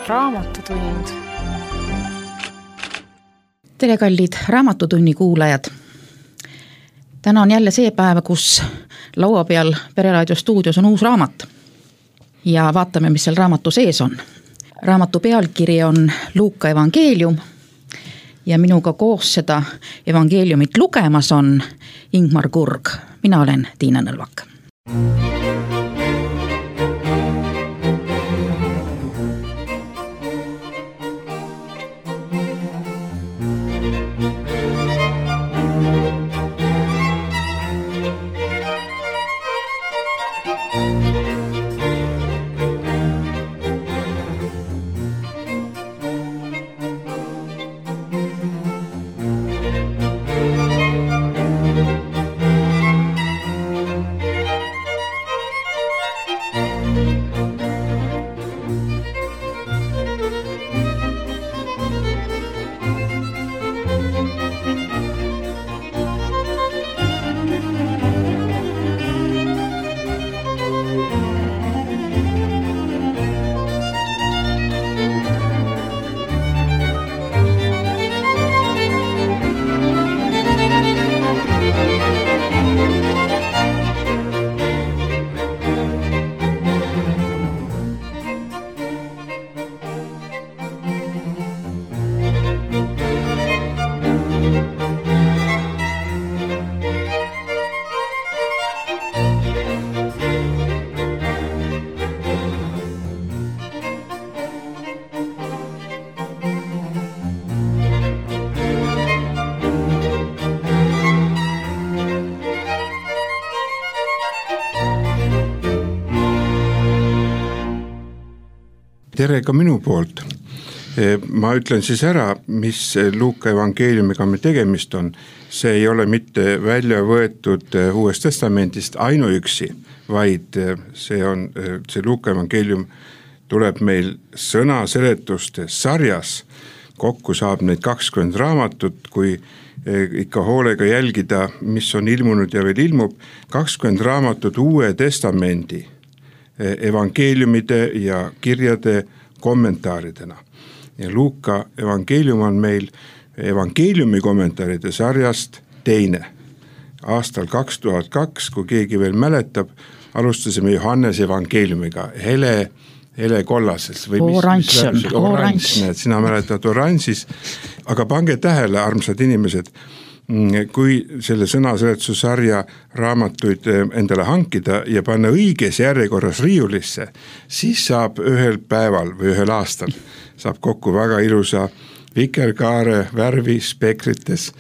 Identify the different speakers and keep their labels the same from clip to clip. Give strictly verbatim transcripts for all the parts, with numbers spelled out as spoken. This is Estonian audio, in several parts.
Speaker 1: raamatutund.
Speaker 2: Tere, kallid Raamatutunni kuulajad. Täna on jälle see päev, kus laua peal Pereraadio stuudios on uus raamat. Ja vaatame, mis seal raamatu sees on. Raamatu pealkiri on Luuka evangeelium ja minuga koos seda evangeeliumit lugemas on Ingmar Kurg. Mina olen Tiina Nõlvak.
Speaker 3: Tere ka minu poolt. Ma ütlen siis ära, mis Luuka evangeeliumiga me tegemist on. See ei ole mitte välja võetud Uuest Testamendist ainuüksi, vaid see on, see Luuka evangeelium tuleb meil sõna seletuste sarjas. Kokku saab neid kakskümmend raamatut, kui ikka hoolega jälgida, mis on ilmunud ja veel ilmub. kakskümmend raamatut Uue Testamendi evangeeliumide ja kirjade kommentaaridena. Ja Luuka evangeelium on meil evangeeliumi kommentaaride sarjast teine. Aastal kaks tuhat kaks, kui keegi veel mäletab, alustasime Johannes evangeeliumiga hele, hele kollases. Või
Speaker 2: oranž,
Speaker 3: mis, mis oranž. Need, sina mäletad oranžis. Aga pange tähele, armsad inimesed, kui selle sõnaseletuse sarja raamatuid endale hankida ja panna õiges järjekorras riiulisse, siis saab ühel päeval või ühel aastal saab kokku väga ilusa vikerkaare värvi spekrites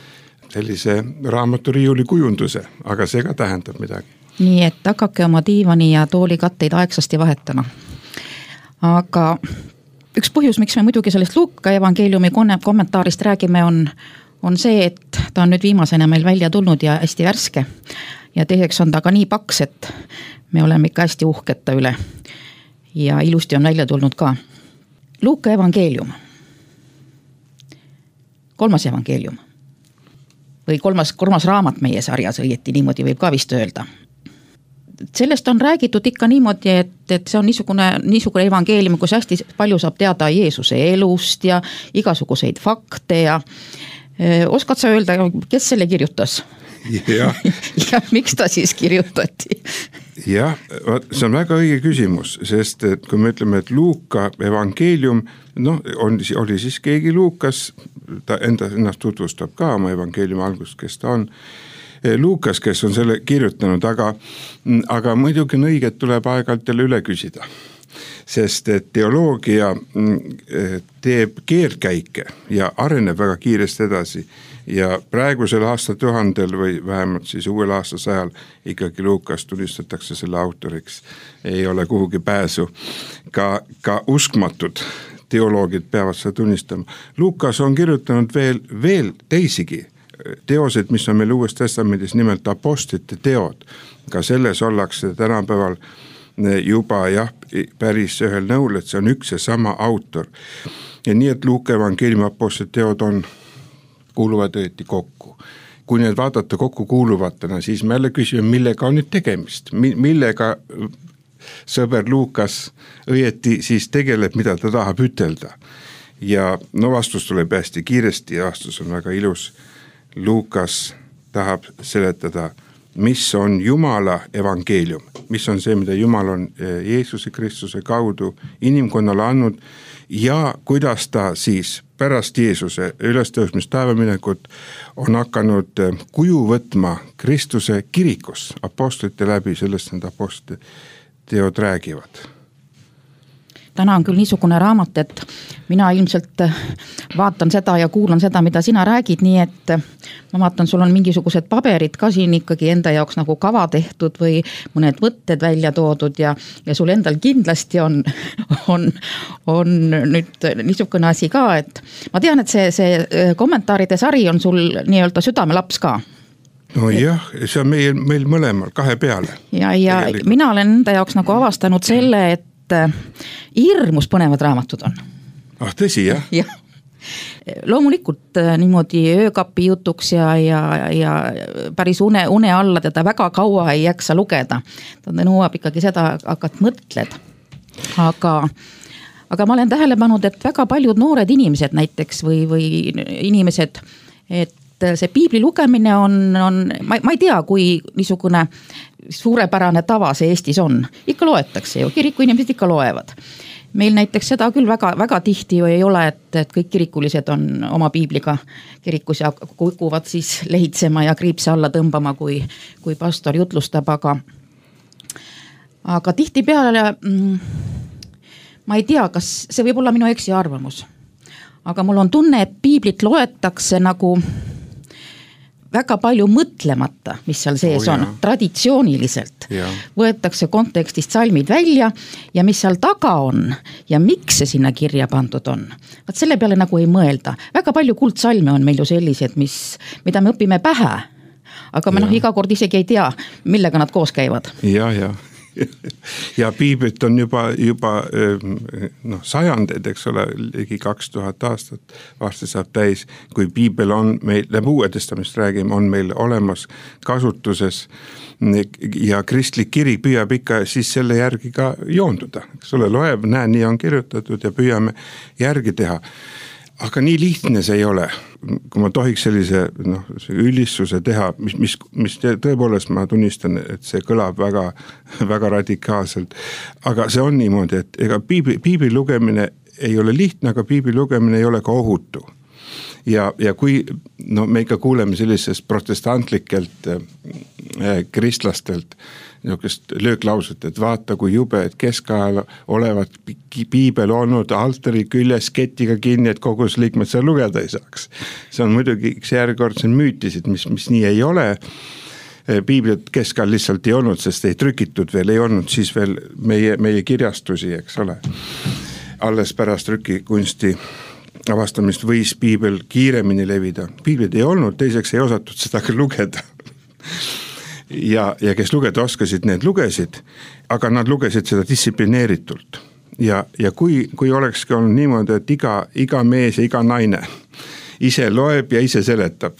Speaker 3: sellise raamaturiiuli kujunduse, aga see ka tähendab midagi.
Speaker 2: Nii et hakake oma diivani ja tooli katteid aegsasti vahetama. Aga üks põhjus, miks me muidugi sellest Luuka evangeeliumi kommentaarist räägime, on on see, et ta on nüüd viimasena meil välja tulnud ja hästi värske. Ja teiseks on ta ka nii paks, et me oleme ikka hästi uhked ta üle. Ja ilusti on välja tulnud ka. Luuka evangeelium. Kolmas evangeelium. Või kolmas, kolmas raamat meie sarjas, õieti niimoodi võib ka vist öelda. Sellest on räägitud ikka niimoodi, et, et see on niisugune, niisugune evangeelium, kus hästi palju saab teada Jeesuse elust ja igasuguseid fakte ja oskad sa öelda, kes selle kirjutas? Ja, ja miks ta siis kirjutati?
Speaker 3: Jah, see on väga õige küsimus, sest et kui me ütleme, et Luuka evangeelium, noh, on, oli siis keegi Luukas, ta enda, ennast tutvustab ka oma evangeeliumi algust, kes ta on. Luukas, kes on selle kirjutanud, aga, aga muidugi on õige, et tuleb aeg-ajalt jälle üle küsida. Sest et teoloogia teeb keerdkäike ja areneb väga kiiresti edasi ja praegusel aastatuhandel või vähemalt siis uuel aastasajal ikkagi Luukas tunnistatakse selle autoriks. Ei ole kuhugi pääsu. Ka, ka uskmatud teoloogid peavad seda tunnistama. Luukas on kirjutanud veel, veel teisigi teosed, mis on meil Uues Testamendis nimelt apostlite teod. Ka selles ollakse tänapäeval juba jah, päris ühel nõul, et see on üks ja sama autor. Ja nii, et Luuka evangeeliumi apostlite teod on, kuuluvad õieti kokku. Kui need vaadata kokku kuuluvatena, siis me jälle küsime, millega on nüüd tegemist, millega sõber Luukas õieti siis tegeleb, mida ta tahab ütelda. Ja no vastus tuleb hästi kiiresti ja vastus on väga ilus. Luukas tahab seletada, mis on Jumala evangeelium, mis on see, mida Jumal on Jeesuse Kristuse kaudu inimkonnale andnud ja kuidas ta siis pärast Jeesuse ülestõusmist taevaminekut on hakanud kuju võtma Kristuse kirikus apostlite läbi, sellest need apostlite teod räägivad.
Speaker 2: Täna on küll niisugune raamat, et mina ilmselt vaatan seda ja kuulan seda, mida sina räägid, nii et ma vaatan, sul on mingisugused paberid ka siin ikkagi enda jaoks nagu kava tehtud või mõned võtted välja toodud ja, ja sul endal kindlasti on, on, on nüüd niisugune asi ka, et ma tean, et see, see kommentaaride sari on sul nii-öelda südamelaps ka.
Speaker 3: No jah, see on meil, meil mõlemal kahe peale.
Speaker 2: Ja, ja mina olen enda jaoks nagu avastanud selle, et hirmus põnevad raamatud on.
Speaker 3: Ah, tõsi, jah?
Speaker 2: Jah. Loomulikult niimoodi öökapi jutuks ja, ja, ja päris une, une alla teda väga kaua ei jaksa lugeda. Ta nõuab ikkagi seda, hakkad mõtled. Aga, aga ma olen tähele pannud, et väga paljud noored inimesed näiteks või, või inimesed, et see piibli lugemine on, on ma, ma ei tea, kui niisugune suurepärane tava see Eestis on. Ikka loetakse ju, kiriku inimesed ikka loevad. Meil näiteks seda küll väga, väga tihti ju ei ole, et, et kõik kirikulised on oma piibliga kirikus ja kukuvad siis lehitsema ja kriipse alla tõmbama, kui, kui pastor jutlustab, aga, aga tihti peale mm, ma ei tea, kas see võib olla minu eksi arvamus, aga mul on tunne, et piiblit loetakse nagu väga palju mõtlemata, mis seal sees oh, on, traditsiooniliselt. Ja. Võetakse kontekstist salmid välja ja mis seal taga on ja miks see sinna kirja pandud on. Vaat selle peale nagu ei mõelda. Väga palju kuldsalme on meil ju sellised, mis, mida me õpime pähe, aga me ja. noh iga kord isegi ei tea, millega nad koos käivad.
Speaker 3: Ja, ja. Ja piiblit on juba, juba noh, sajandeid, eks ole, ligi kaks tuhat aastat varsti saab täis, kui piibel on meil, läbi Uue Testamist räägime, on meil olemas kasutuses ja kristlik kirik püüab ikka siis selle järgi ka joonduda. Eks ole, loeb, näe, nii on kirjutatud ja püüame järgi teha. Aga nii lihtne see ei ole, kui ma tohiks sellise noh, ülissuse teha, mis, mis, mis tõepoolest ma tunnistan, et see kõlab väga, väga radikaalselt. Aga see on niimoodi, et ega piibli, piibli lugemine ei ole lihtne, aga piibli lugemine ei ole ka ohutu. Ja, ja kui no, me ikka kuuleme sellisest protestantlikelt äh, kristlastelt, niisugust lööklauset, et vaata kui jube, et keskajal olevat piibel olnud altari küljes ketiga kinni, et kogus liikmed seal lugeda ei saaks. See on muidugi üks järjekordse müütisid, mis, mis nii ei ole. Piiblit keskajal lihtsalt ei olnud, sest ei trükitud veel, ei olnud siis veel meie, meie kirjastusi, eks ole. Alles pärast trükikunsti avastamist võis piibel kiiremini levida. Piiblit ei olnud, teiseks ei osatud seda ka lugeda. Ja, ja kes lugeda oskasid, need lugesid, aga nad lugesid seda distsiplineeritult. Ja, ja kui, kui olekski olnud niimoodi, et iga, iga mees ja iga naine ise loeb ja ise seletab,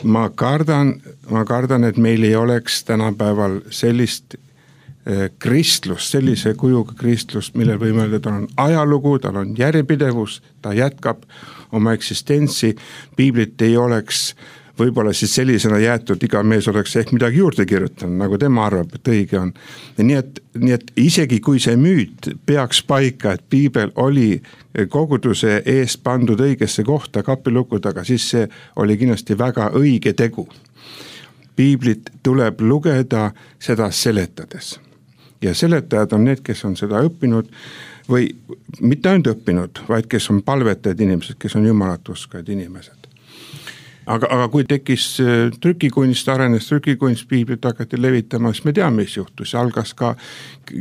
Speaker 3: ma kardan, ma kardan, et meil ei oleks tänapäeval sellist kristlust, sellise kujuga kristlust, millel võime öelda, tal on ajalugu, tal on järjepidevus, ta jätkab oma eksistentsi, piiblit ei oleks võib-olla siis sellisena jäetud, iga mees oleks ehk midagi juurde kirjutanud, nagu tema arvab, et õige on. Nii et, nii et isegi kui see müüt peaks paika, et piibel oli koguduse eest pandud õigesse kohta kapiluku taga, siis see oli kindlasti väga õige tegu. Piiblit tuleb lugeda seda seletades. Ja seletajad on need, kes on seda õppinud või mitte ainult õppinud, vaid kes on palvetajad inimesed, kes on jumalat uskajad inimesed. Aga, aga kui tekkis trükikunst, arenes trükikunst, piiblit hakati levitama, siis me teame, mis juhtus. Algas ka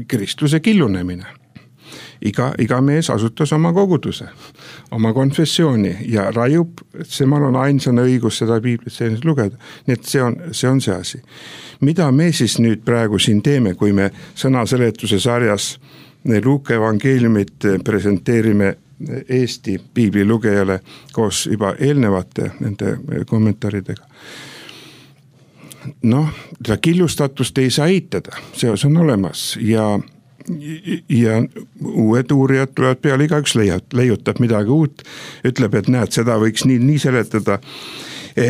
Speaker 3: kristluse killunemine. Iga, iga mees asutas oma koguduse, oma konfessiooni ja raiub, et semal on ainsana õigus seda piiblit selliselt lugeda. Nii et see on, see on see asi. Mida me siis nüüd praegu siin teeme, kui me sõnaseletuse sarjas Luuka evangeeliumit presenteerime Eesti piibli lugejale koos juba eelnevate nende kommentaaridega. Noh, seda killustatust ei saa eitada, see on olemas ja, ja uued uurijad tulevad peale, igaüks leiab, leiutab midagi uut, ütleb, et näed, seda võiks nii, nii seletada.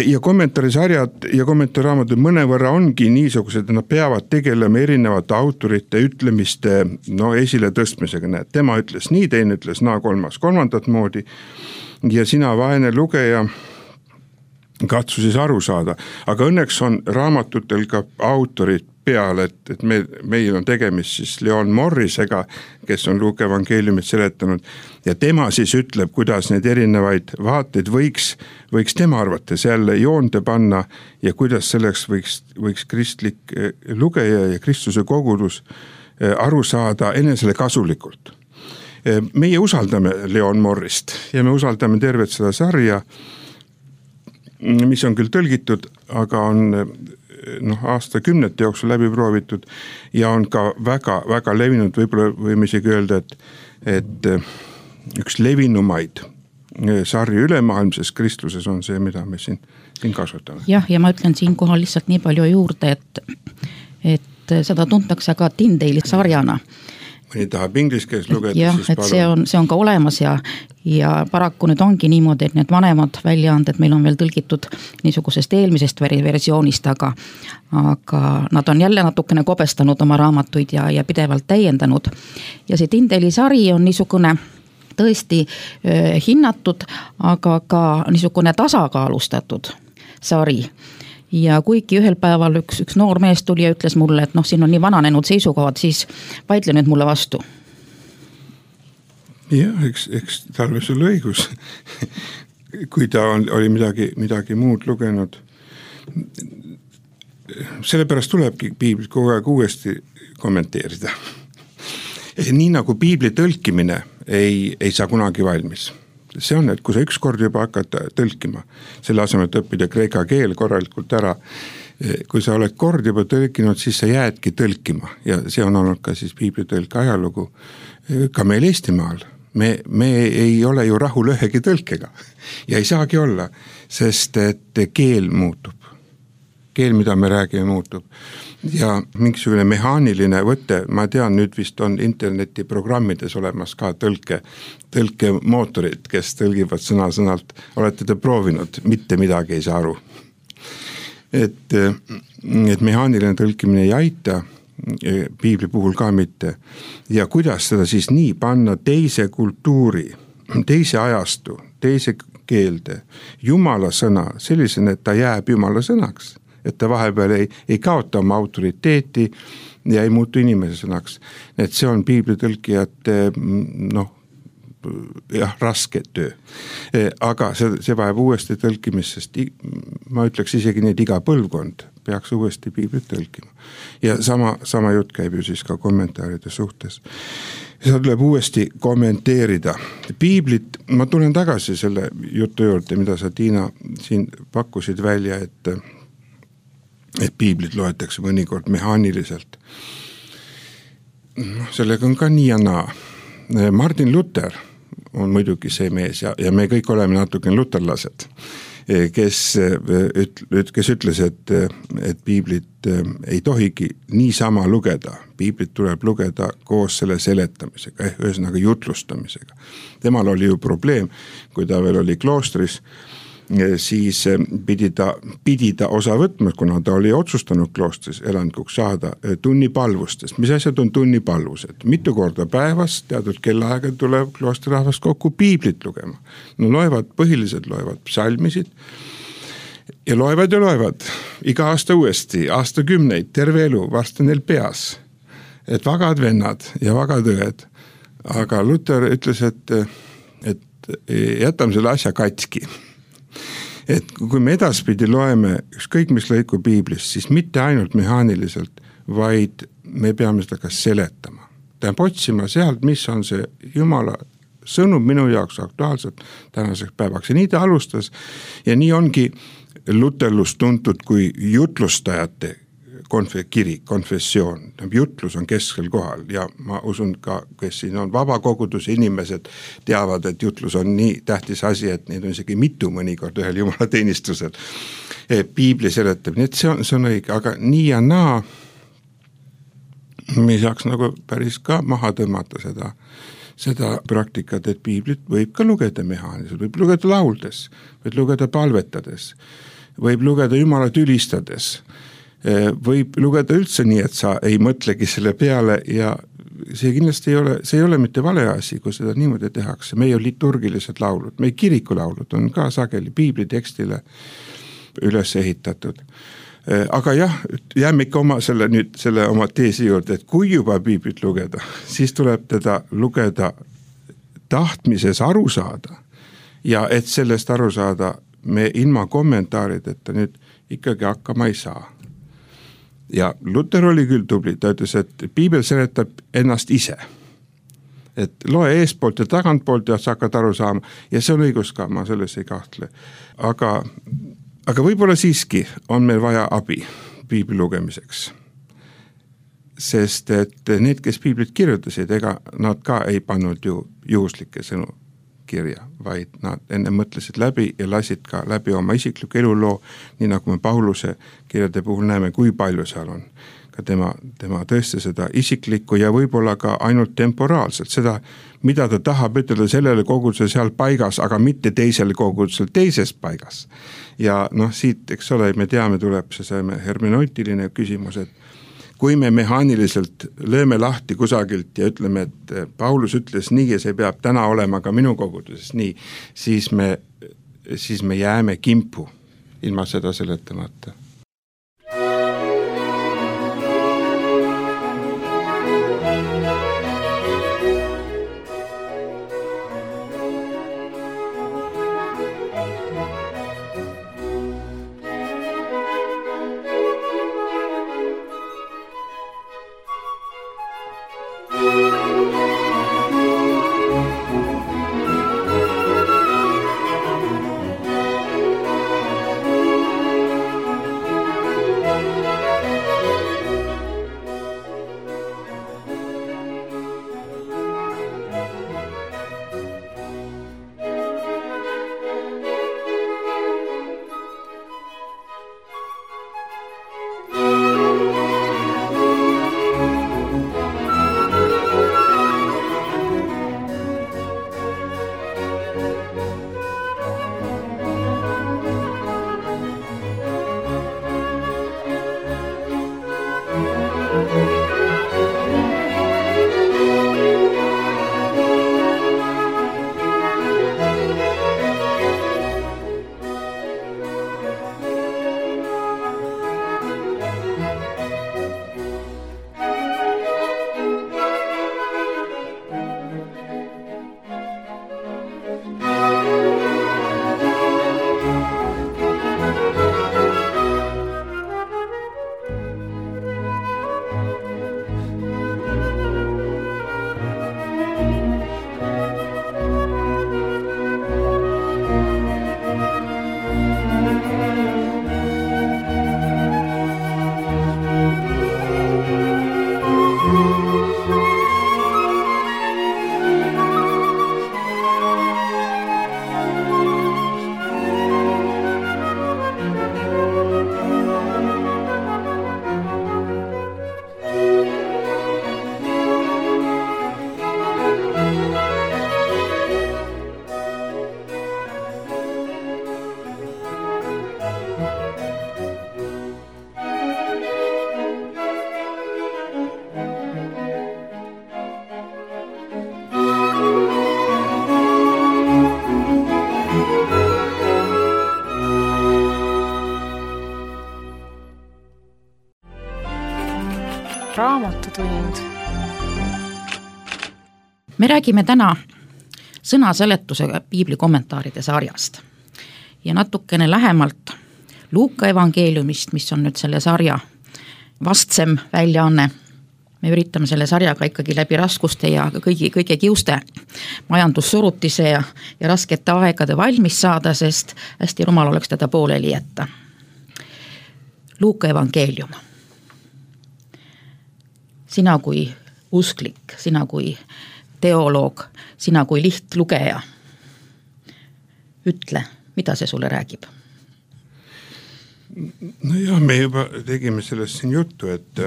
Speaker 3: Ja kommentaarisarjad ja kommentaarraamatud mõnevõrra ongi niisugused, et nad peavad tegelema erinevate autorite ütlemiste no, esile tõstmisega. Näed, tema ütles nii, teine ütles naa, kolmas kolmandat moodi ja sina vaene lugeja katsu siis aru saada. Aga õnneks on raamatutel ka autorid peal, et, et me, meil on tegemist siis Leon Morrisega, kes on Luuka evangeeliumit seletanud ja tema siis ütleb, kuidas neid erinevaid vaateid võiks, võiks tema arvates jälle joonde panna ja kuidas selleks võiks, võiks kristlik lugeja ja Kristuse kogudus aru saada enesele kasulikult. Meie usaldame Leon Morrist ja me usaldame tervet seda sarja, mis on küll tõlgitud, aga on noh, aastakümnete jooksul läbi proovitud ja on ka väga, väga levinud, võib-olla võime isegi öelda, et, et üks levinumaid sarju ülemaailmses kristluses on see, mida me siin, siin kasutame.
Speaker 2: Jah, ja ma ütlen siinkohal lihtsalt nii palju juurde, et, et seda tuntakse ka Tyndale'i sarjana.
Speaker 3: Mõni tahab inglise keeles lugeda,
Speaker 2: jah,
Speaker 3: siis
Speaker 2: et see on, see on ka olemas ja, ja paraku nüüd ongi niimoodi, et need vanemad väljaanded meil on veel tõlgitud niisugusest eelmisest versioonist, aga, aga nad on jälle natukene kobestanud oma raamatuid ja, ja pidevalt täiendanud. Ja see Tyndale'i sari on niisugune tõesti äh, hinnatud, aga ka niisugune tasakaalustatud sari. Ja kuigi ühel päeval üks, üks noor mees tuli ja ütles mulle, et noh, siin on nii vananenud seisukohad, siis vaidle nüüd mulle vastu.
Speaker 3: Jah, eks, eks tal võis olla õigus, kui ta on, oli midagi, midagi muud lugenud. Sellepärast tulebki piiblit kogu aeg uuesti kommenteerida. Nii nagu piibli tõlkimine ei, ei saa kunagi valmis. See on, et kui sa üks kord juba hakkad tõlkima, selle asemel, et õppida kreeka keel korralikult ära, kui sa oled kord juba tõlkinud, siis sa jäädki tõlkima ja see on olnud ka siis piiblitõlke ajalugu ka meil Eestimaal. Me, me ei ole ju rahul ühegi tõlkega ja ei saagi olla, sest et keel muutub. Keel, mida me räägime, muutub. Ja mingisugune mehaaniline võte, ma tean, nüüd vist on internetiprogrammides olemas ka tõlke, tõlkemootorid, kes tõlgivad sõna-sõnalt. Olete te proovinud, mitte midagi ei saa aru. Et, et mehaaniline tõlkimine ei aita, piibli puhul ka mitte. Ja kuidas seda siis nii panna teise kultuuri, teise ajastu, teise keelde, Jumala sõna, sellisena, et ta jääb Jumala sõnaks. Et ta vahepeal ei, ei kaota oma autoriteeti ja ei muutu inimese sõnaks. Et see on piiblitõlkijate noh, jah, raske töö. Aga see, see vajab uuesti tõlkimist, sest ma ütleks isegi need iga põlvkond peaks uuesti piiblit tõlkima. Ja sama, sama jutt käib ju siis ka kommentaaride suhtes. Seda tuleb uuesti kommenteerida. Piiblit, ma tulen tagasi selle jutu juurde, mida sa, Tiina, siin pakkusid välja, et et piiblit loetakse mõnikord mehaaniliselt. No, sellega on ka nii ja naa. Martin Luther on muidugi see mees ja, ja me kõik oleme natuke luterlased, kes, kes ütles, et, et piiblit ei tohigi niisama lugeda. Piiblit tuleb lugeda koos selle seletamisega, ehk ühesõnaga jutlustamisega. Temal oli ju probleem, kui ta veel oli kloostris, siis pidi ta, pidi ta osa võtma, kuna ta oli otsustanud kloostris elanikuks saada tunnipalvustest. Mis asjad on tunnipalvused? Mitu korda päevas, teatud kellaaega tuleb kloostirahvast kokku piiblit lugema. No loevad, põhiliselt loevad psalmisid ja loevad ja loevad iga aasta uuesti, aastakümneid, terve elu, varsti neil peas. Et vagad vennad ja vagad õed. Aga Luther ütles, et, et jätame selle asja katki. Et kui me edaspidi loeme ükskõik mis lõiku piiblist, siis mitte ainult mehaaniliselt, vaid me peame seda ka seletama. Tähendab otsima sealt, mis on see Jumala sõnum minu jaoks aktuaalselt tänaseks päevaks. Ja nii ta alustas ja nii ongi luterlus tuntud kui jutlustajate konf- kiri, konfessioon. Jutlus on keskel kohal ja ma usun ka, kes siin on vabakoguduse inimesed teavad, et jutlus on nii tähtis asi, et neid on isegi mitu mõnikord ühel Jumala teenistusel. Piibli seletab, nii et see on, see on õige, aga nii ja naa me ei saaks nagu päris ka maha tõmmata seda, seda praktikat, et piiblit võib ka lugeda mehaaniliselt, võib lugeda lauldes, võib lugeda palvetades, võib lugeda Jumalat ülistades, võib lugeda üldse nii, et sa ei mõtlegi selle peale ja see kindlasti ei ole, see ei ole mitte vale asi, kui seda niimoodi tehakse. Meie liturgilised laulud, meie kirikulaulud on ka sageli piiblitekstile üles ehitatud. Aga jah, jääme ikka oma selle, nüüd selle oma teesi juurde, et kui juba piiblit lugeda, siis tuleb teda lugeda tahtmises aru saada ja et sellest aru saada me ilma kommentaarideta nüüd ikkagi hakkama ei saa. Ja Luther oli küll tubli, ta ütles, et piibel seletab ennast ise. Et loe eespoolt ja tagantpoolt ja sa hakkad aru saama ja see on õigus ka, ma selles ei kahtle. Aga, aga võib-olla siiski on meil vaja abi piibli lugemiseks. Sest et need, kes piiblit kirjutasid, ega nad ka ei pannud ju juhuslikke sõnu kirja, vaid nad enne mõtlesid läbi ja lasid ka läbi oma isikliku eluloo, nii nagu me Pauluse kirjade puhul näeme, kui palju seal on ka tema, tema tõesti seda isiklikku ja võib-olla ka ainult temporaalselt, seda, mida ta tahab ütelda sellele kogudusele seal paigas, aga mitte teisele kogudusele teises paigas. Ja noh, siit, eks ole, me teame, tuleb see hermeneutiline küsimus, et kui me mehaaniliselt lööme lahti kusagilt ja ütleme, et Paulus ütles nii ja see peab täna olema ka minu koguduses nii, siis me, siis me jääme kimpu ilma seda seletamata.
Speaker 1: Raamatutund.
Speaker 2: Me räägime täna sõnaseletusega piibli kommentaaride sarjast ja natukene lähemalt Luuka evangeeliumist, mis on nüüd selle sarja vastsem väljaanne. Me üritame selle sarjaga ikkagi läbi raskuste ja kõigi, kõige kiuste majandussurutise ja, ja raskete aegade valmis saada, sest hästi rumal oleks teda pooleli jätta. Luuka evangeelium. Sina kui usklik, sina kui teoloog, sina kui lihtlugeja. Ütle, mida see sulle räägib?
Speaker 3: No jah, me juba tegime sellest siin juttu, et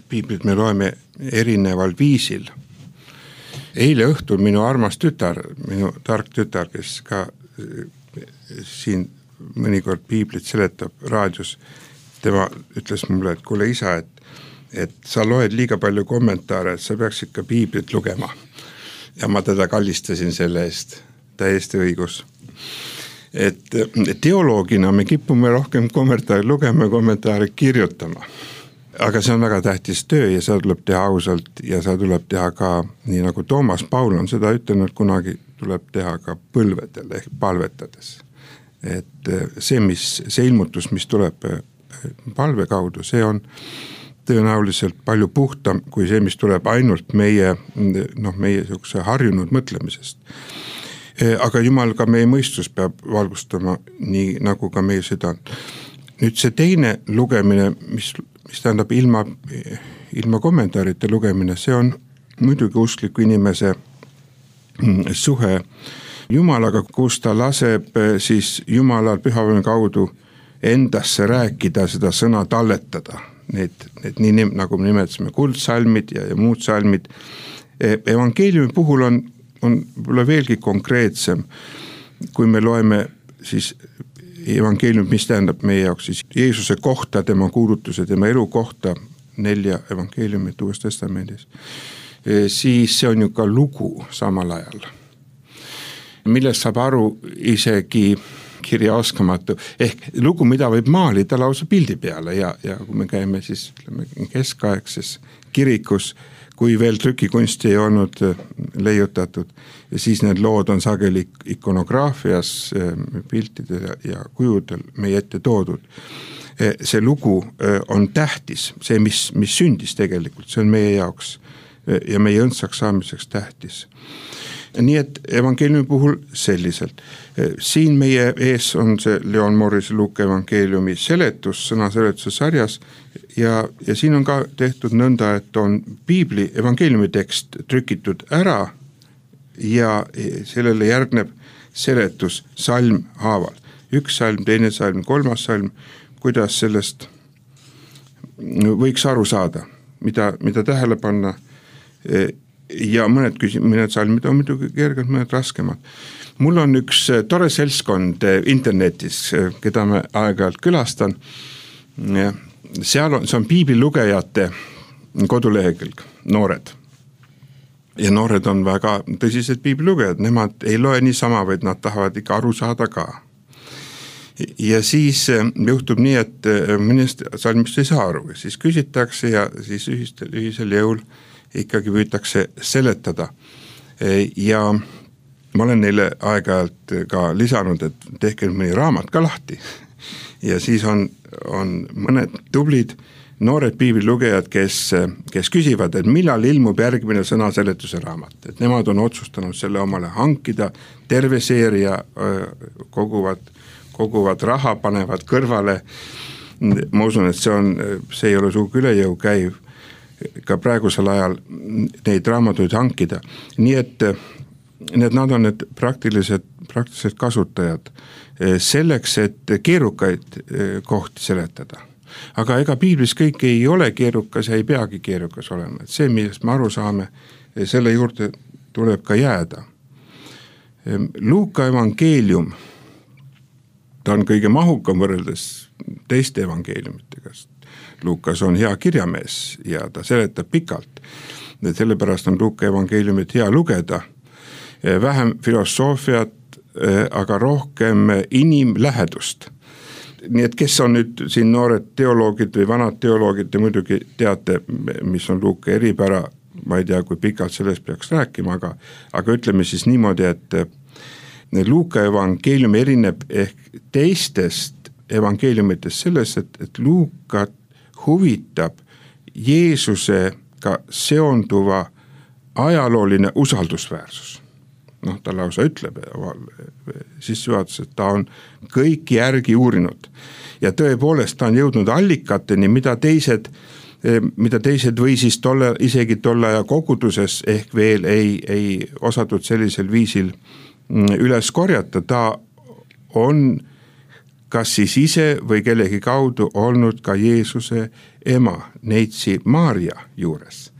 Speaker 3: piiblit me loeme erineval viisil. Eile õhtul minu armas tütar, minu tark tütar, kes ka siin mõnikord piiblit seletab raadios, tema ütles mulle, et kuule isa, et, et sa loed liiga palju kommentaare, et sa peaksid ka piiblit lugema. Ja ma teda kallistasin selle eest, täiesti õigus. Et teoloogina me kipume rohkem kommentaari lugema ja kommentaari kirjutama. Aga see on väga tähtis töö ja seda tuleb teha ausalt ja seda tuleb teha ka, nii nagu Toomas Paul on seda ütelnud, kunagi tuleb teha ka põlvedel ehk palvetades. Et see, mis, see ilmutus, mis tuleb palve kaudu, see on tõenäoliselt palju puhtam kui see, mis tuleb ainult meie, noh, meie selline harjunud mõtlemisest. Aga Jumal ka meie mõistus peab valgustama nii nagu ka meie südant. Nüüd see teine lugemine, mis, mis tähendab ilma, ilma kommentaarite lugemine, see on muidugi uskliku inimese suhe Jumalaga, kus ta laseb siis Jumalal pühapäeva kaudu endasse rääkida, seda sõna talletada. Need, need nii nagu me nimetasime kuldsalmid ja, ja muud salmid. Evangeeliumi puhul on, on veelgi konkreetsem, kui me loeme siis evangeelium, mis tähendab meie jaoks siis Jeesuse kohta, tema kuulutuse, tema elu kohta, nelja evangeeliumit Uues Testamendis, siis see on ju ka lugu samal ajal, millest saab aru isegi kirjaoskamatu, ehk lugu, mida võib maalida lausa pildi peale ja, ja kui me käime siis ütleme, keskaegses kirikus, kui veel trükikunsti ei olnud leiutatud ja siis need lood on sageli ikonograafias, piltidel ja kujudel meie ette toodud. See lugu on tähtis, see, mis, mis sündis tegelikult, see on meie jaoks ja meie õndsaks saamiseks tähtis. Nii et evangeeliumi puhul selliselt. Siin meie ees on see Leon Morrise Luuka evangeeliumi seletus, sõna seletuse sarjas ja, ja siin on ka tehtud nõnda, et on piibli evangeeliumi tekst trükitud ära ja sellele järgneb seletus salm haaval. Üks salm, teine salm, kolmas salm, kuidas sellest võiks aru saada, mida, mida tähele panna ja mõned, küsim- mõned salmid on muidugi kergelt, mõned raskemad. Mul on üks tore seltskond internetis, keda me aeg-ajalt külastan. Seal on, see on piiblilugejate kodulehekülg, noored. Ja noored on väga tõsised piiblilugejad, nemad ei loe niisama, vaid nad tahavad ikka aru saada ka. Ja siis juhtub nii, et mõnest salmist ei saa aru, siis küsitakse ja siis ühistel, ühisel jõul ikkagi püütakse seletada ja ma olen neile aeg-ajalt ka lisanud, et tehke mõni raamat ka lahti ja siis on, on mõned tublid noored piiblilugejad, kes, kes küsivad, et millal ilmub järgmine sõna seletuse raamat, et nemad on otsustanud selle omale hankida, terve seeria koguvad, koguvad raha, panevad kõrvale, ma usun, et see on, see ei ole sugugi üle jõu käiv ka praegusel ajal neid raamatuid hankida. Nii et need, nad on need praktilised, praktilised kasutajad selleks, et keerukaid kohti seletada. Aga ega piiblis kõik ei ole keerukas ja ei peagi keerukas olema. Et see, millest me aru saame, selle juurde tuleb ka jääda. Luuka evangeelium, ta on kõige mahukam võrreldes teiste evangeeliumitega. Luukas on hea kirjamees ja ta seletab pikalt. Sellepärast on Luuka evangeeliumit hea lugeda. Vähem filosoofiat, aga rohkem inimlähedust. Nii et kes on nüüd siin noored teoloogid või vanad teoloogid, te muidugi teate, mis on Luuka eripära, ma ei tea, kui pikalt sellest peaks rääkima, aga, aga ütleme siis niimoodi, et Luuka evangeelium erineb ehk teistest evangeeliumitest selles, et, et Luukat huvitab Jeesusega seonduva ajalooline usaldusväärsus. Noh, ta lausa ütleb sissejuhatuses, et ta on kõik järgi uurinud ja tõepoolest ta on jõudnud allikateni, mida teised, mida teised või siis tolle, isegi tolle aja koguduses ehk veel ei, ei osatud sellisel viisil üles korjata. Ta on kas siis ise või kellegi kaudu olnud ka Jeesuse ema, neitsi Maarja juures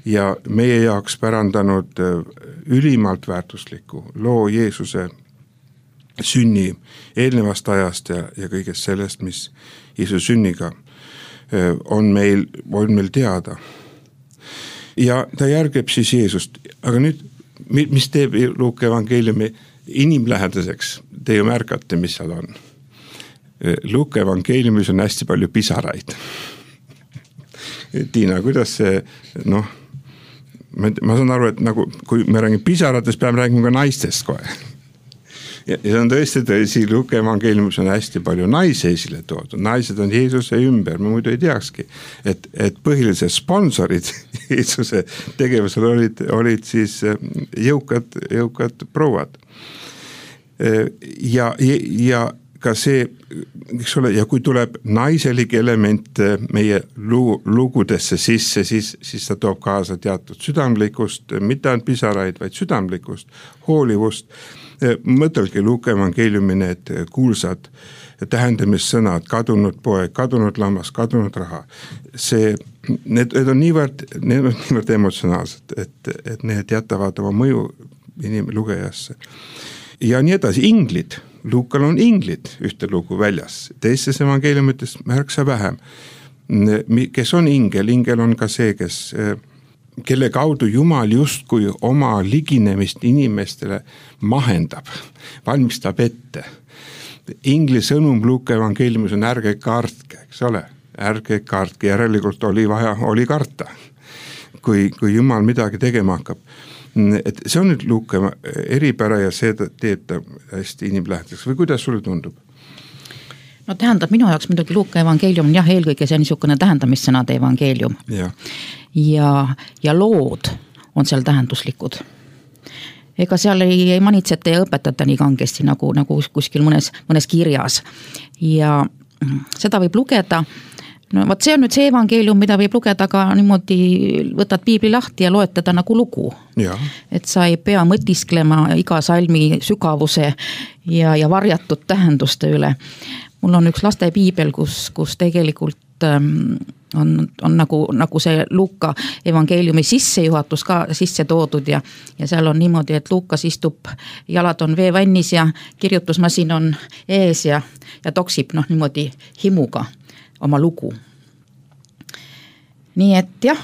Speaker 3: ja meie jaoks pärandanud ülimalt väärtusliku loo Jeesuse sünni eelnevast ajast ja, ja kõigest sellest, mis Jeesuse sünniga on meil, on meil teada. Ja ta järgib siis Jeesust, aga nüüd, mis teeb Luuka evangeeliumi inimlähedaseks, te ju märkate, mis seal on. Luuka evangeeliumis on hästi palju pisaraid. Tiina, kuidas see, noh, ma saan aru, et nagu, kui me räägime pisaratest, peame räägima ka naistest kohe. Ja see on tõesti tõsi, Luuka evangeeliumis on hästi palju naisi esile toodud. Naised on Jeesuse ümber, ma muidu ei teakski, et, et põhilised sponsorid Jeesuse tegevusel olid, olid siis jõukad, jõukad prouad. Ja, ja ka see, eks ole, ja kui tuleb naiselik element meie lugudesse sisse, siis, siis ta toob kaasa teatud südamlikust, mitte ainult pisaraid, vaid südamlikust, hoolivust. Mõtelge Luuka evangeeliumi need kuulsad tähendamissõnad, kadunud poeg, kadunud lammas, kadunud raha. See, need, need on niivõrd, need on niivõrd emotsionaalsed, et, et need jätavad oma mõju inim- lugejasse. Ja nii edasi, inglid, Luukal on inglid ühte lugu väljas, teistes evangeeliumites märksa vähem. Kes on ingel? Ingel on ka see, kes, kelle kaudu Jumal justkui oma liginemist inimestele mahendab, valmistab ette. Ingli sõnum Luuka evangeeliumis on ärge kartke, eks ole, ärge kartke, järelikult oli vaja, oli karta, kui, kui Jumal midagi tegema hakkab. Et see on nüüd Luuka eripära ja see teeb ta hästi inimlähedaseks või kuidas sulle tundub?
Speaker 2: No tähendab minu jaoks muidugi Luuka evangeelium on jah, eelkõige see niisugune tähendamissõnade evangeelium.
Speaker 3: Ja.
Speaker 2: Ja, ja lood on seal tähenduslikud. Ega seal ei, ei manitseta ja õpetata nii kangesti nagu, nagu kuskil mõnes, mõnes kirjas. Ja seda võib lugeda. No võt see on nüüd see evangeelium, mida võib lugeda ka niimoodi, võtad piibli lahti ja loed teda nagu lugu.
Speaker 3: Ja. Et
Speaker 2: sa ei pea mõtisklema iga salmi sügavuse ja, ja varjatud tähenduste üle. Mul on üks laste piibel, kus, kus tegelikult ähm, on, on nagu, nagu see Luuka evangeeliumi sissejuhatus ka sisse toodud ja, ja seal on niimoodi, et Luukas istub, jalad on veevannis ja kirjutusmasin on ees ja, ja toksib noh, niimoodi himuga oma lugu. Nii et jah,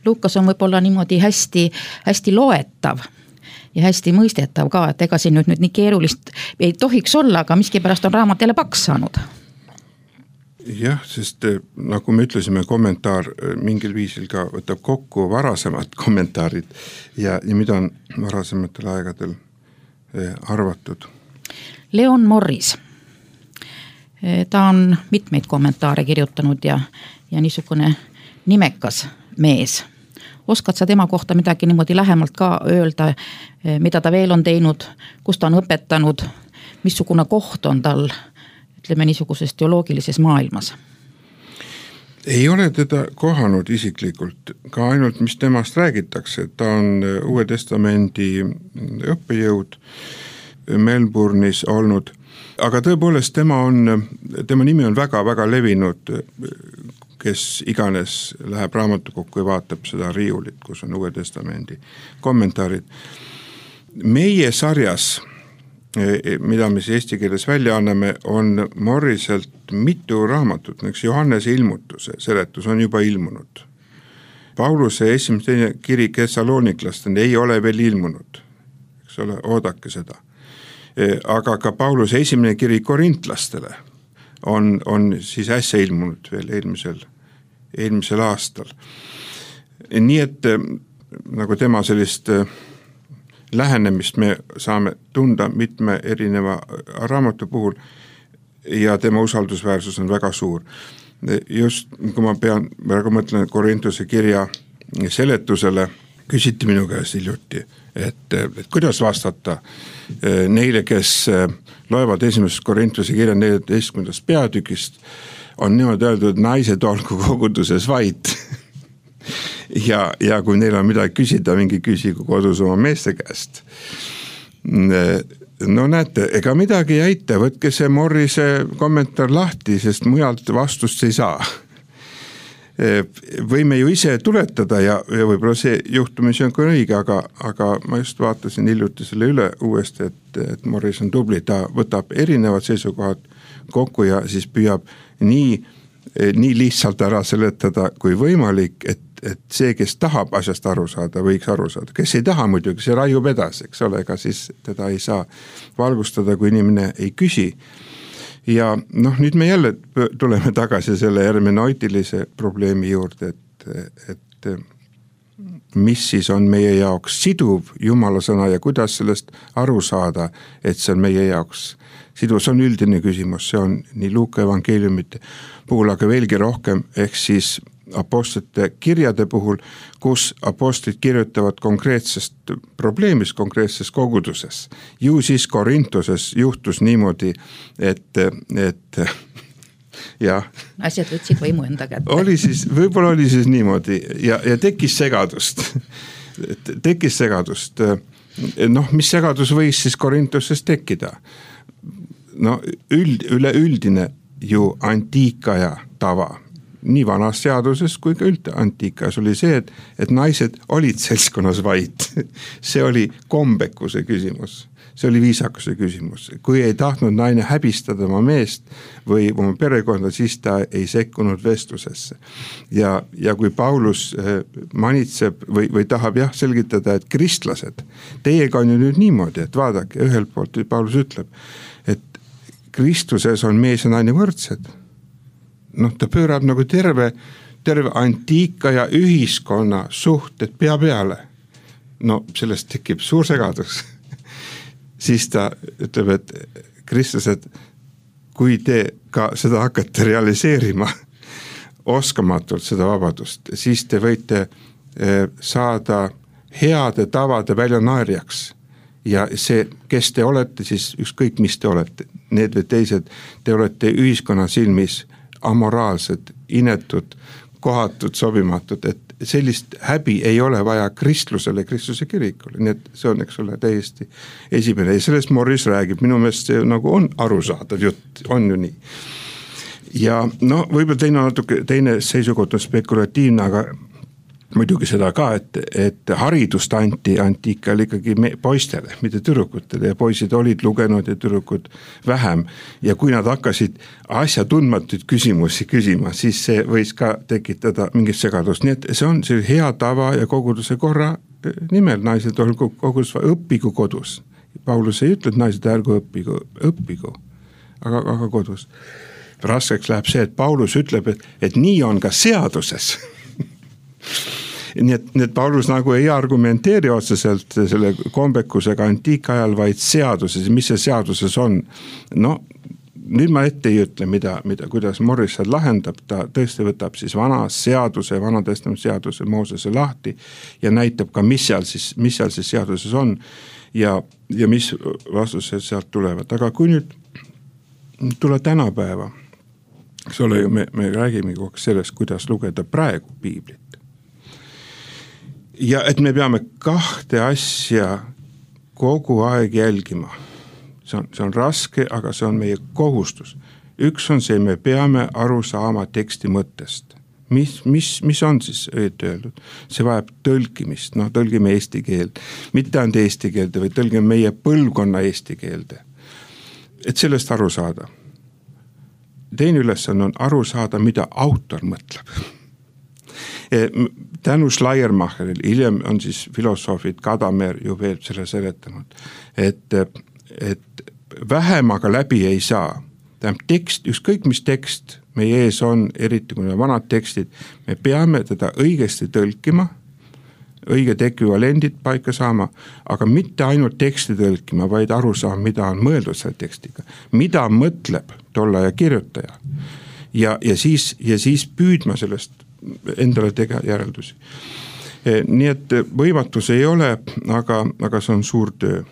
Speaker 2: Luukas on võib-olla niimoodi hästi, hästi loetav ja hästi mõistetav ka, et ega siin nüüd, nüüd nii keerulist ei tohiks olla, aga miskipärast on raamat jälle paks saanud.
Speaker 3: Jah, sest nagu me ütlesime, kommentaar mingil viisil ka võtab kokku varasemad kommentaarid ja, ja mida on varasematel aegadel arvatud.
Speaker 2: Leon Morris. Ta on mitmeid kommentaare kirjutanud ja, ja niisugune nimekas mees. Oskad sa tema kohta midagi niimoodi lähemalt ka öelda, mida ta veel on teinud, kus ta on õpetanud, missugune koht on tal, ütleme niisuguses teoloogilises maailmas?
Speaker 3: Ei ole teda kohanud isiklikult, ka ainult mis temast räägitakse. Ta on Uue Testamendi õppejõud Melbourne'is olnud. Aga tõepoolest tema on, tema nimi on väga-väga levinud, kes iganes läheb raamatukokku ja vaatab seda riiulit, kus on Uue Testamendi kommentaarid. Meie sarjas, mida me siis eesti keeles välja anname, on Morriselt mitu raamatut, näiteks Johannese ilmutuse seletus on juba ilmunud. Pauluse esimene kiri Thessaloniklastele ei ole veel ilmunud, eks ole, oodake seda. Aga ka Pauluse esimene kiri korintlastele on, on siis äsja ilmunud veel eelmisel, eelmisel aastal. Nii et nagu tema sellist lähenemist me saame tunda mitme erineva raamatu puhul ja tema usaldusväärsus on väga suur. Just kui ma pean, väga mõtlen Korintuse kirja seletusele, küsiti minu käest hiljuti, et, et kuidas vastata neile, kes loevad esimesest Korintuse kirja neljateistkümnendast peatükist, on niimoodi öeldud, et naised olgu koguduses vait. ja, ja kui neil on midagi küsida, mingi küsigu kodus oma meeste käest. no näete, ega midagi ei aita, võtke see Morrise kommentaar lahti, sest mujalt vastust ei saa. Võime ju ise tuletada ja, ja võib-olla see juhtumisi on ka õige, aga, aga ma just vaatasin hiljuti selle üle uuesti, et, et Morris on tubli, ta võtab erinevad seisukohad kokku ja siis püüab nii, nii lihtsalt ära seletada kui võimalik, et et see, kes tahab asjast aru saada, võiks aru saada. Kes ei taha muidugi, see raiub edasi, eks ole, ega siis teda ei saa valgustada, kui inimene ei küsi. Ja noh, nüüd me jälle tuleme tagasi selle hermeneutilise probleemi juurde, et, et mis siis on meie jaoks siduv Jumala sõna ja kuidas sellest aru saada, et see on meie jaoks siduv. See on üldine küsimus, see on nii Luuka evangeeliumite puhul, aga veelgi rohkem, ehk siis apostlite kirjade puhul, kus apostlid kirjutavad konkreetsest probleemist konkreetses koguduses. Ju siis Korintoses juhtus niimoodi, et, et jah.
Speaker 2: Asjad võtsid võimu enda kätte.
Speaker 3: Oli siis, võib-olla oli siis niimoodi ja, ja tekkis segadust. Tekkis segadust. Noh, mis segadus võis siis Korintoses tekkida? No üld, üleüldine ju antiikaja tava. Nii vanas seaduses kui ka üldse antiikas oli see, et, et naised olid seltskonnas vait. See oli kombekuse küsimus, see oli viisakuse küsimus. Kui ei tahtnud naine häbistada oma meest või oma perekonda, siis ta ei sekkunud vestlusesse. Ja, ja kui Paulus manitseb või, või tahab jah selgitada, et kristlased, teiega on ju nüüd niimoodi, et vaadake, ühelt poolt Paulus ütleb, et Kristuses on mees ja naine võrdsed. Noh, ta pöörab nagu terve, terve antiika ja ühiskonna suhted pea peale. No sellest tekib suur segadus. Siis ta ütleb, et kristlased, kui te ka seda hakkate realiseerima oskamatult seda vabadust, siis te võite saada heade tavade väljanaerjaks. Ja see, kes te olete, siis ükskõik mis te olete, need või teised, te olete ühiskonna silmis amoraalsed, inetud, kohatud, sobimatud, et sellist häbi ei ole vaja kristlusele, kristluse kirikule, nii et see on, eks ole, täiesti esimene ja sellest Morris räägib, minu meelest see nagu on arusaadav jutt, on ju nii. Ja no võib-olla teine, natuke, teine seisukoht on spekulatiivne, aga muidugi seda ka, et, et haridust anti antiikal ikkagi me, poistele, mitte tüdrukutele ja poisid olid lugenud ja tüdrukud vähem. Ja kui nad hakkasid asja tundmatuid küsimusi küsima, siis see võis ka tekitada mingit segadust. Nii et see on see hea tava ja koguduse korra nimel, naised olgu kogudus, õppigu kodus. Paulus ei ütle, et naised ärgu õppigu, õppigu, aga, aga kodus. Raskeks läheb see, et Paulus ütleb, et, et nii on ka seaduses. Nii et, nii et Paulus nagu ei argumenteeri otseselt selle kombekusega antiikajal, vaid seaduses, mis see seaduses on. No nüüd ma ette ei ütle, mida, mida, kuidas Morris seal lahendab, ta tõesti võtab siis vana seaduse, vana testament seaduse Moosese lahti ja näitab ka, mis seal siis, mis seal siis seaduses on ja, ja mis vastused sealt tulevad. Aga kui nüüd tule tänapäeva, eks ole, me, me räägime kogu sellest, kuidas lugeda praegu piiblit. Ja et me peame kahte asja kogu aeg jälgima. See on, see on raske, aga see on meie kohustus. Üks on see, me peame aru saama teksti mõttest. Mis, mis, mis on siis õieti öeldud? See vajab tõlkimist, no tõlgime eesti keelde. Mitte ainult eesti keelde, või tõlgime meie põlvkonna eesti keelde. Et sellest aru saada. Teine ülesanne on aru saada, mida autor mõtleb. Tänu Schleiermacheril, hiljem on siis filosoofid Gadamer ju veel selle seletanud, et, et vähem aga läbi ei saa. Tähendab tekst, ükskõik mis tekst meie ees on, eriti kui need vanad tekstid, me peame teda õigesti tõlkima, õiged ekvivalendid paika saama, aga mitte ainult teksti tõlkima, vaid aru saama, mida on mõeldud selle tekstiga. Mida mõtleb tolle ja kirjutaja. Ja, ja, siis, ja siis püüdma sellest endale tega järeldusi. Nii et võimatus ei ole, aga, aga see on suur töö.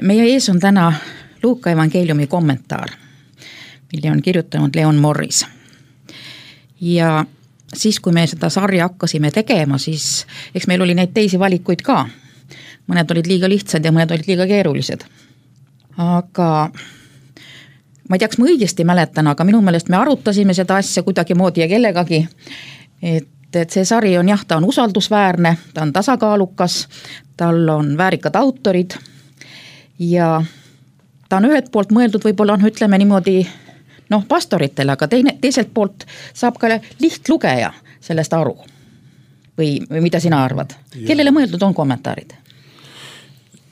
Speaker 2: meie ees on täna Luuka evangeeliumi kommentaar, mille on kirjutanud Leon Morris. Ja siis, kui me seda sarja hakkasime tegema, siis eks meil oli neid teisi valikuid ka. Mõned olid liiga lihtsad ja mõned olid liiga keerulised. Aga ma ei tea, kas ma õigesti mäletan, aga minu meelest me arutasime seda asja kuidagi moodi ja kellegagi, et, et see sari on jah, ta on usaldusväärne, ta on tasakaalukas, tal on väärikad autorid ja ta on ühelt poolt mõeldud võib-olla on, ütleme niimoodi, noh, pastoritele, aga teine, teiselt poolt saab ka lihtlugeja sellest aru. Või, või mida sina arvad? Ja. Kellele mõeldud on kommentaarid?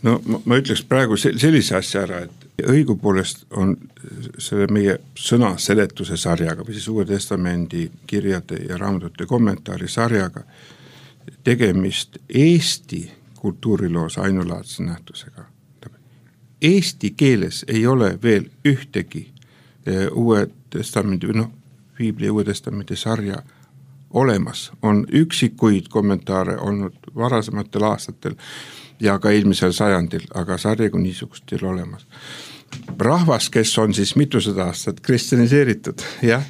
Speaker 3: No ma, ma ütleks praegu sellise asja ära, et õigupoolest on selle meie sõna seletuse sarjaga või siis Uue Testamendi kirjade ja raamatute kommentaari sarjaga tegemist Eesti kultuuriloos ainulaadse nähtusega. Eesti keeles ei ole veel ühtegi Uue Testamendi, noh, Piibli Uue Testamendi sarja olemas. On üksikuid kommentaare olnud varasematel aastatel ja ka eelmisel sajandil, aga sarja kui niisugust ei ole olemas. Rahvas, kes on siis mitusada aastat kristjaniseeritud, jah,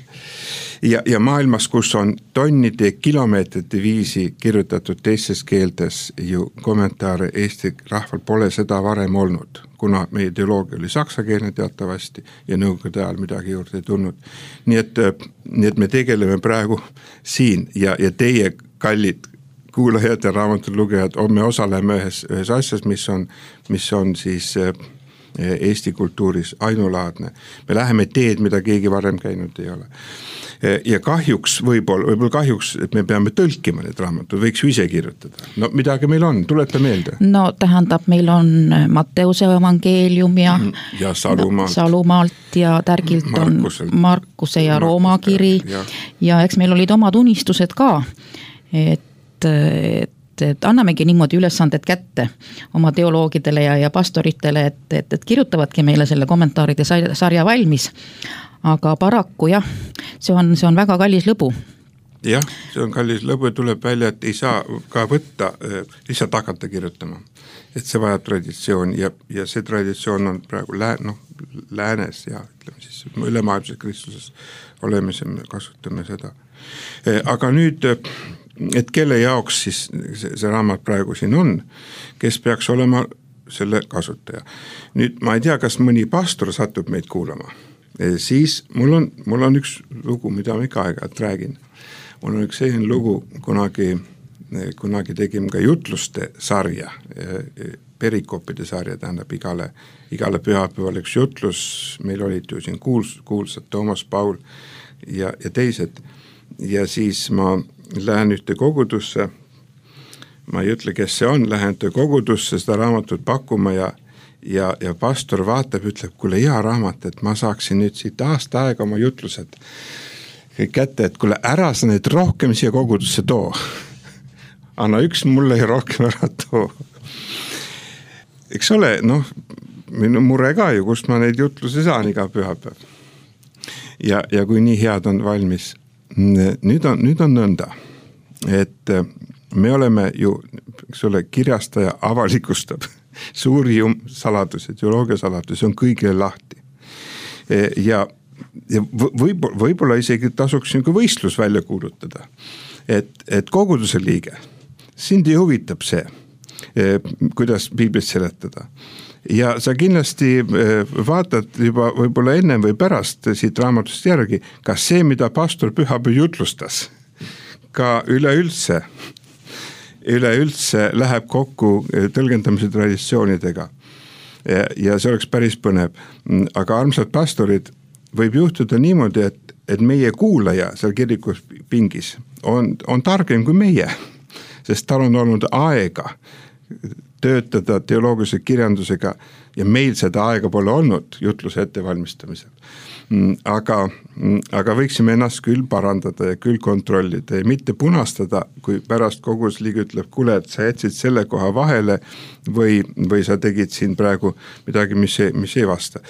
Speaker 3: ja, ja maailmas, kus on tonnide kilomeetrite viisi kirjutatud teistes keeltes ju kommentaare Eesti rahval pole seda varem olnud, kuna meie teoloogia oli saksakeelne teatavasti ja nõukogude ajal midagi juurde ei tulnud. Nii et, nii et me tegeleme praegu siin ja, ja teie kallid kuulajad ja raamatud lugejad, me osaleme ühes, ühes asjas, mis on, mis on siis Eesti kultuuris ainulaadne. Me läheme teed, mida keegi varem käinud ei ole. Ja kahjuks, võib-olla, võib-olla kahjuks, et me peame tõlkima need raamatud, võiks ju ise kirjutada. No midagi meil on, tuleta meelde.
Speaker 2: No tähendab, meil on Matteuse evangeelium ja,
Speaker 3: ja Salumaalt.
Speaker 2: Salumaalt ja Tärgilt Markusel. on Markuse ja Rooma kiri ja. ja eks meil olid omad unistused ka, et et, et annamegi niimoodi ülesanded kätte oma teoloogidele ja, ja pastoritele, et, et, et kirjutavadki meile selle kommentaaride sarja valmis. Aga paraku jah, see on, see on väga kallis lõbu.
Speaker 3: Jah, see on kallis lõbu, tuleb välja, et ei saa ka võtta, lihtsalt hakata kirjutama. Et see vajab traditsioon ja, ja see traditsioon on praegu lää, no, läänes ja ütleme siis ülemaailmses Kristuses olemise, me kasutame seda. Aga nüüd et kelle jaoks siis see, see raamat praegu siin on, kes peaks olema selle kasutaja. Nüüd ma ei tea, kas mõni pastor satub meid kuulama. E, siis mul on, mul on üks lugu, mida ma ikka aeg-ajalt räägin. Mul on üks selline lugu, kunagi, kunagi tegime ka jutluste sarja, perikoopide sarja, tähendab igale, igale pühapäeval üks jutlus, meil olid ju siin kuuls, kuulsad Toomas Paul ja, ja teised. Ja siis ma lähen ühte kogudusse, ma ei ütle, kes see on, lähen ühte kogudusse seda raamatut pakkuma ja, ja, ja pastor vaatab, ütleb, kuule hea raamat, et ma saaksin nüüd siit aasta aega oma jutlused kätte, et kuule ära sa nüüd rohkem siia kogudusse too. Anna üks mulle ja rohkem ära too. Eks ole, noh, minu mure ka ju, kust ma neid jutluse saan iga pühapäev. Ja, ja kui nii head on valmis, nüüd on, nüüd on nõnda, et me oleme ju, eks ole, kirjastaja avalikustab suuri saladusi, teoloogia saladusi, on kõigile lahti. Ja, ja võib, võib-olla isegi tasuks nagu võistlus välja kuulutada, et, et koguduse liige, sind ei huvitab see, kuidas Piiblit seletada. Ja sa kindlasti vaatad juba võib-olla ennem või pärast siit raamatust järgi, kas see, mida pastor pühapäev jutlustas, ka üleüldse, üleüldse läheb kokku tõlgendamise traditsioonidega. Ja, ja see oleks päris põnev. Aga armsad pastorid, võib juhtuda niimoodi, et, et meie kuulaja seal kirikus pingis on, on targem kui meie, sest tal on olnud aega töötada teoloogilise kirjandusega ja meil seda aega pole olnud jutluse ettevalmistamisel. Aga, aga võiksime ennast küll parandada ja küll kontrollida ja mitte punastada, kui pärast kogusliige ütleb, kuule, et sa jätsid selle koha vahele või, või sa tegid siin praegu midagi, mis ei, mis ei vasta.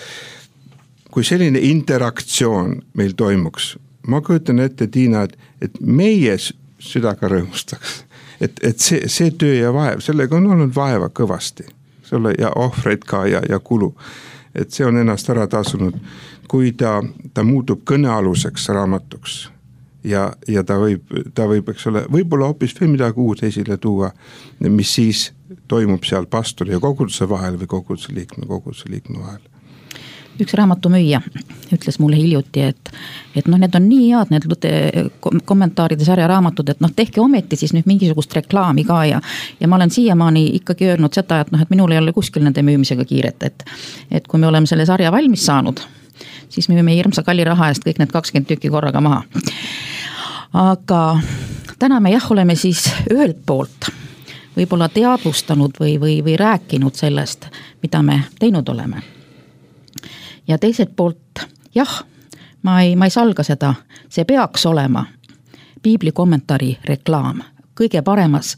Speaker 3: Kui selline interaktsioon meil toimuks, ma kujutan ette, Tiina, et, et meie südaga rõõmustaks. Et, et see, see töö ja vaev, sellega on olnud vaeva kõvasti. eks ole, ja ohvreid ka ja, ja kulu. Et see on ennast ära tasunud, kui ta, ta muutub kõnealuseks raamatuks ja, ja ta võib, ta võib, eks ole, võib-olla hoopis veel midagi uut esile tuua, mis siis toimub seal pastori ja koguduse vahel või koguduse liikme, koguduse liikme vahel.
Speaker 2: Üks raamatumüüja ütles mulle hiljuti, et, et noh, need on nii head, need kommentaaride sarja raamatud, et noh, tehke ometi siis nüüd mingisugust reklaami ka ja, ja ma olen siiamaani ikkagi öelnud seda, et noh, et minul ei ole kuskil nende müümisega kiiret, et, et kui me oleme selle sarja valmis saanud, siis me müüme hirmsa kalli raha eest kõik need kakskümmend tükki korraga maha. Aga täna me jah, oleme siis ühelt poolt võib-olla teadvustanud või, või, või rääkinud sellest, mida me teinud oleme. Ja teiselt poolt, jah, ma ei, ma ei salga seda, see peaks olema piibli kommentaari reklaam, kõige paremas,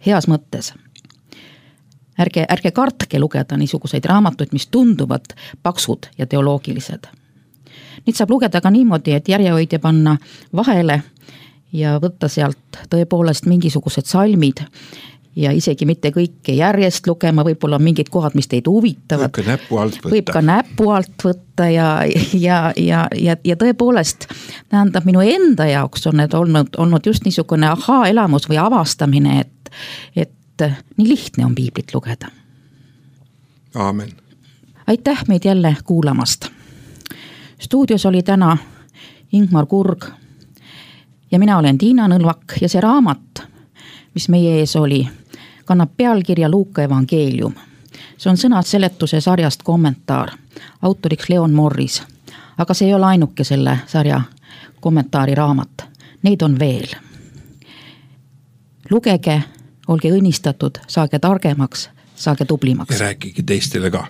Speaker 2: heas mõttes. Ärge, ärge kartke lugeda niisuguseid raamatuid, mis tunduvad paksud ja teoloogilised. Nüüd saab lugeda ka niimoodi, et järjehoidja panna vahele ja võtta sealt tõepoolest mingisugused salmid, ja isegi mitte kõike järjest lugema, võib-olla mingid kohad, mis teid huvitavad.
Speaker 3: Võib ka näpu alt võtta.
Speaker 2: Võib ka näpu alt võtta ja, ja, ja, ja, ja tõepoolest tähendab minu enda jaoks on need olnud, olnud just niisugune ahaa-elamus või avastamine, et, et nii lihtne on piiblit lugeda.
Speaker 3: Aamen.
Speaker 2: Aitäh meid jälle kuulamast. Stuudios oli täna Ingmar Kurg ja mina olen Tiina Nõlvak ja see raamat, mis meie ees oli, kannab pealkirja Luuka evangeelium. See on sõnad seletuse sarjast kommentaar, autoriks Leon Morris. Aga see ei ole ainuke selle sarja kommentaari raamat. Neid on veel. Lugege, olge õnnistatud, saage targemaks, saage tublimaks.
Speaker 3: Ja rääkige teistele ka.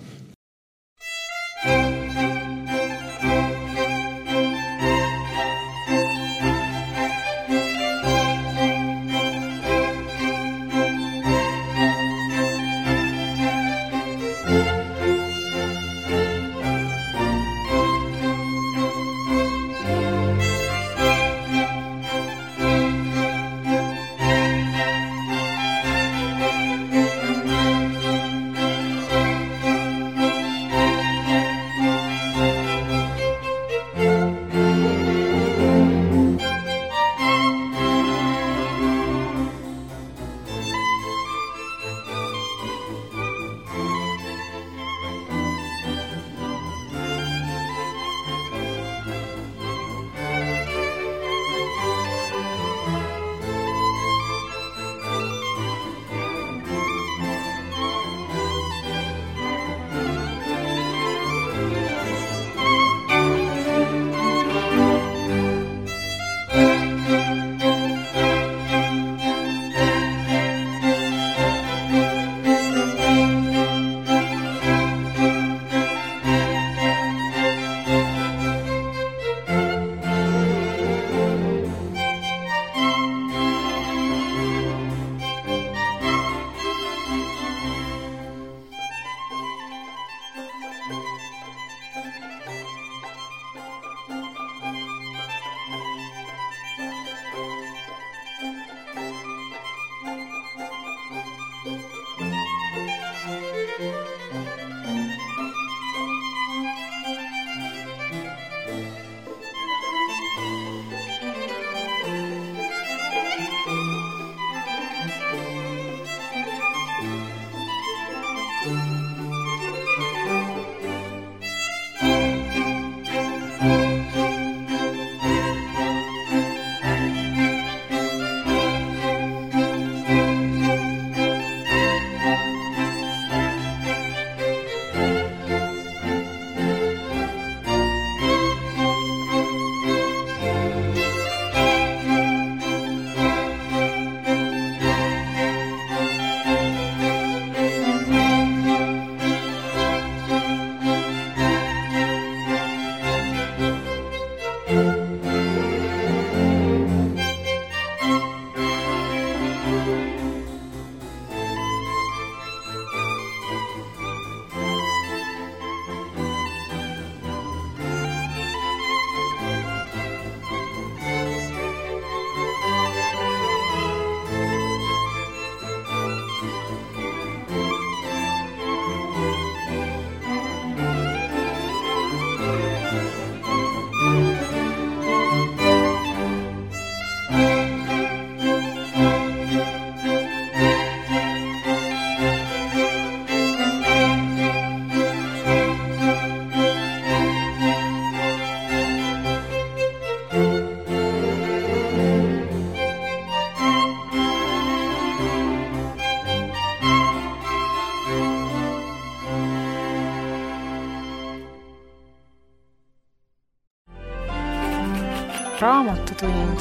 Speaker 1: raamatutund